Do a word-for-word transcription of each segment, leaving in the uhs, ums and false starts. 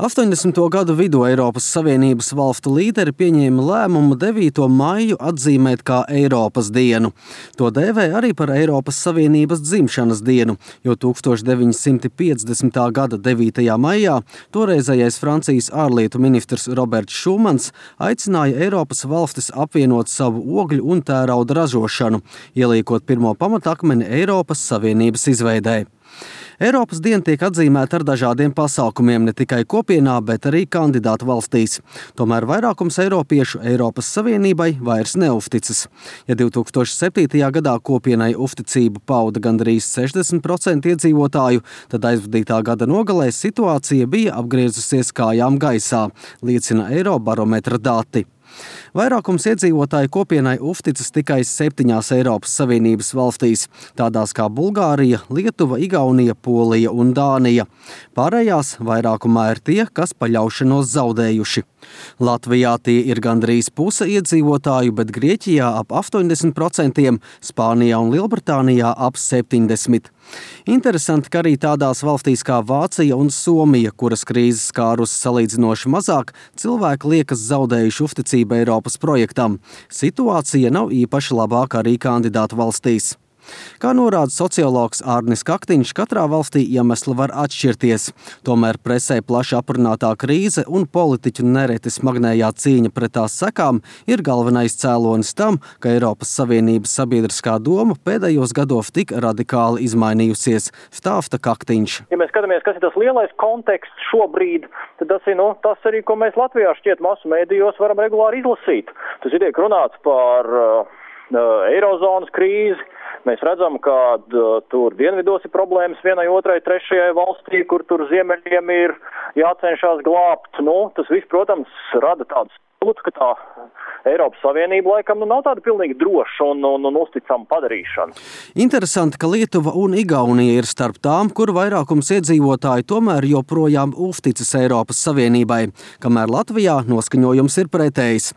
astoņdesmito gadu vidū Eiropas Savienības valstu līderi pieņēma lēmumu devīto maiju atzīmēt kā Eiropas dienu. To dēvē arī par Eiropas Savienības dzimšanas dienu, jo tūkstoš deviņi simti piecdesmitā gada devītajā maijā toreizējais Francijas ārlietu ministrs Roberts Šumans aicināja Eiropas valstis apvienot savu ogļu un tērauda ražošanu, ieliekot pirmo pamatakmeni Eiropas Savienības izveidē. Eiropas diena tiek atzīmēta ar dažādiem pasākumiem ne tikai kopienā, bet arī kandidātu valstīs. Tomēr vairākums eiropiešu Eiropas Savienībai vairs neuzticas. Ja divtūkstoš septītajā gadā kopienai uzticību pauda gandrīz sešdesmit procenti iedzīvotāju, tad aizvadītā gada nogalē situācija bija apgriezusies kājām gaisā, liecina Eirobarometra dati. Vairākums iedzīvotāju kopienai uzticas tikai septiņās Eiropas Savienības valstīs, tādās kā Bulgārija, Lietuva, Igaunija, Polija un Dānija. Pārējās vairākumā ir tie, kas paļaušanos zaudējuši. Latvijā tie ir gandrīz puse iedzīvotāju, bet Grieķijā ap astoņdesmit procentiem, Spānijā un Lielbritānijā ap septiņdesmit procentiem. Interesanti, ka arī tādās valstīs kā Vācija un Somija, kuras krīzes skārus salīdzinoši mazāk, cilvēki liekas zaudējuši uzticību Eiropas projektam. Situācija nav īpaši labāka arī kandidātu valstīs. Kā norāda sociologs Ārnis Kaktiņš, katrā valstī iemesli var atšķirties. Tomēr presē plaši aprunātā krīze un politiķu nereti smagnējā cīņa pret tās sekām ir galvenais cēlonis tam, ka Eiropas Savienības sabiedriskā doma pēdējos gados tik radikāli izmainījusies, stāsta Kaktiņš. Ja mēs skatāmies, kas ir tas lielais konteksts šobrīd, tad tas ir nu, tas arī, ko mēs Latvijā šķiet masu mēdījos varam regulāri izlasīt. Tas ir tiek runāts par uh, eirozonas krīzi. Mēs redzam, ka uh, tur dienvidos ir problēmas vienai, otrai, trešajai valstī, kur tur ziemeļiem ir jācenšas glābt. Nu, tas viss, protams, rada tādu sajūtu, ka tā Eiropas Savienība laikam nu, nav tāda pilnīgi droša un, un, un uzticama padarīšana. Interesanti, ka Lietuva un Igaunija ir starp tām, kur vairākums iedzīvotāji tomēr joprojām uzticas Eiropas Savienībai, kamēr Latvijā noskaņojums ir pretējs.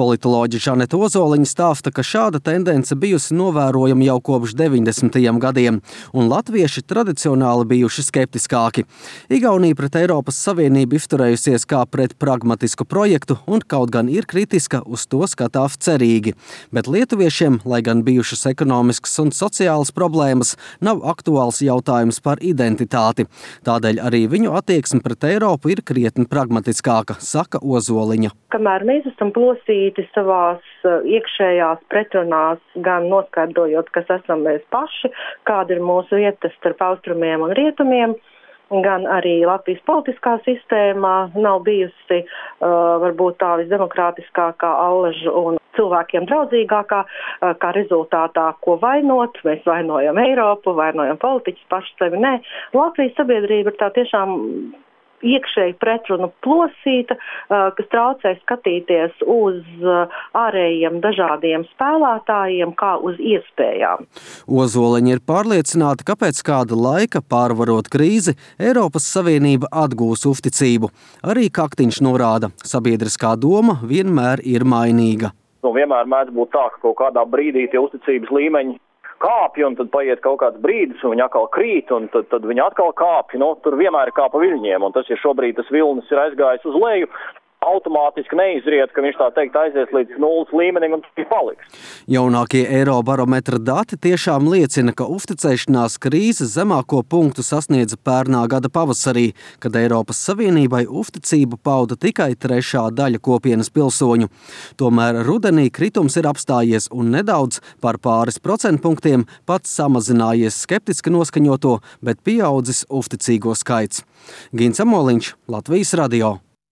Politoloģe Žaneta Ozoliņa stāsta, ka šāda tendence bijusi novērojama jau kopš deviņdesmitajiem gadiem, un latvieši tradicionāli bijuši skeptiskāki. Igaunija pret Eiropas Savienību izturējusies kā pret pragmatisku projektu un kaut gan ir kritiska, uz to skatās cerīgi. Bet lietuviešiem, lai gan bijušas ekonomiskas un sociālas problēmas, nav aktuāls jautājums par identitāti. Tādēļ arī viņu attieksme pret Eiropu ir krietni pragmatiskāka, saka Ozoliņa. Kamēr mēs esam plosīti savās iekšējās pretrunās, gan noskaidrojot, kas esam mēs paši, kāda ir mūsu vieta starp austrumiem un rietumiem, gan arī Latvijas politiskā sistēmā nav bijusi uh, varbūt tā visdemokrātiskākā, allažu un cilvēkiem draudzīgākā, uh, kā rezultātā, ko vainot. Mēs vainojam Eiropu, vainojam politiķus paši sevi. Nē, Latvijas sabiedrība ir tā tiešām iekšēji pretrunu plosīta, kas traucē skatīties uz ārējiem dažādiem spēlētājiem kā uz iespējām. Ozoliņa ir pārliecināta, ka pēc kāda laika, pārvarot krīzi, Eiropas Savienība atgūs uzticību. Arī Kaktiņš norāda, sabiedriskā doma vienmēr ir mainīga. Nu, vienmēr mēdz būt tā, ka kaut kādā brīdī tie uzticības līmeņi kāpj, un tad paiet kaut kāds brīdis, un viņi atkal krīt, un tad, tad viņi atkal kāpj. Nu, tur vienmēr ir kā pa viļņiem, un tas ir šobrīd tas vilnis ir aizgājis uz leju. Automātiski neizriet, ka viņš tā teikt aizies līdz nulles līmenim un tur paliks. Jaunākie Eirobarometra dati tiešām liecina, ka uzticēšanās krīzes zemāko punktu sasniedza pērnā gada pavasarī, kad Eiropas Savienībai uzticību pauda tikai trešā daļa kopienas pilsoņu. Tomēr rudenī kritums ir apstājies un nedaudz par pāris procentpunktiem pats samazinājies skeptiski noskaņoto, bet pieaudzis uzticīgo skaits. Gins Amoliņš, Latvijas radio.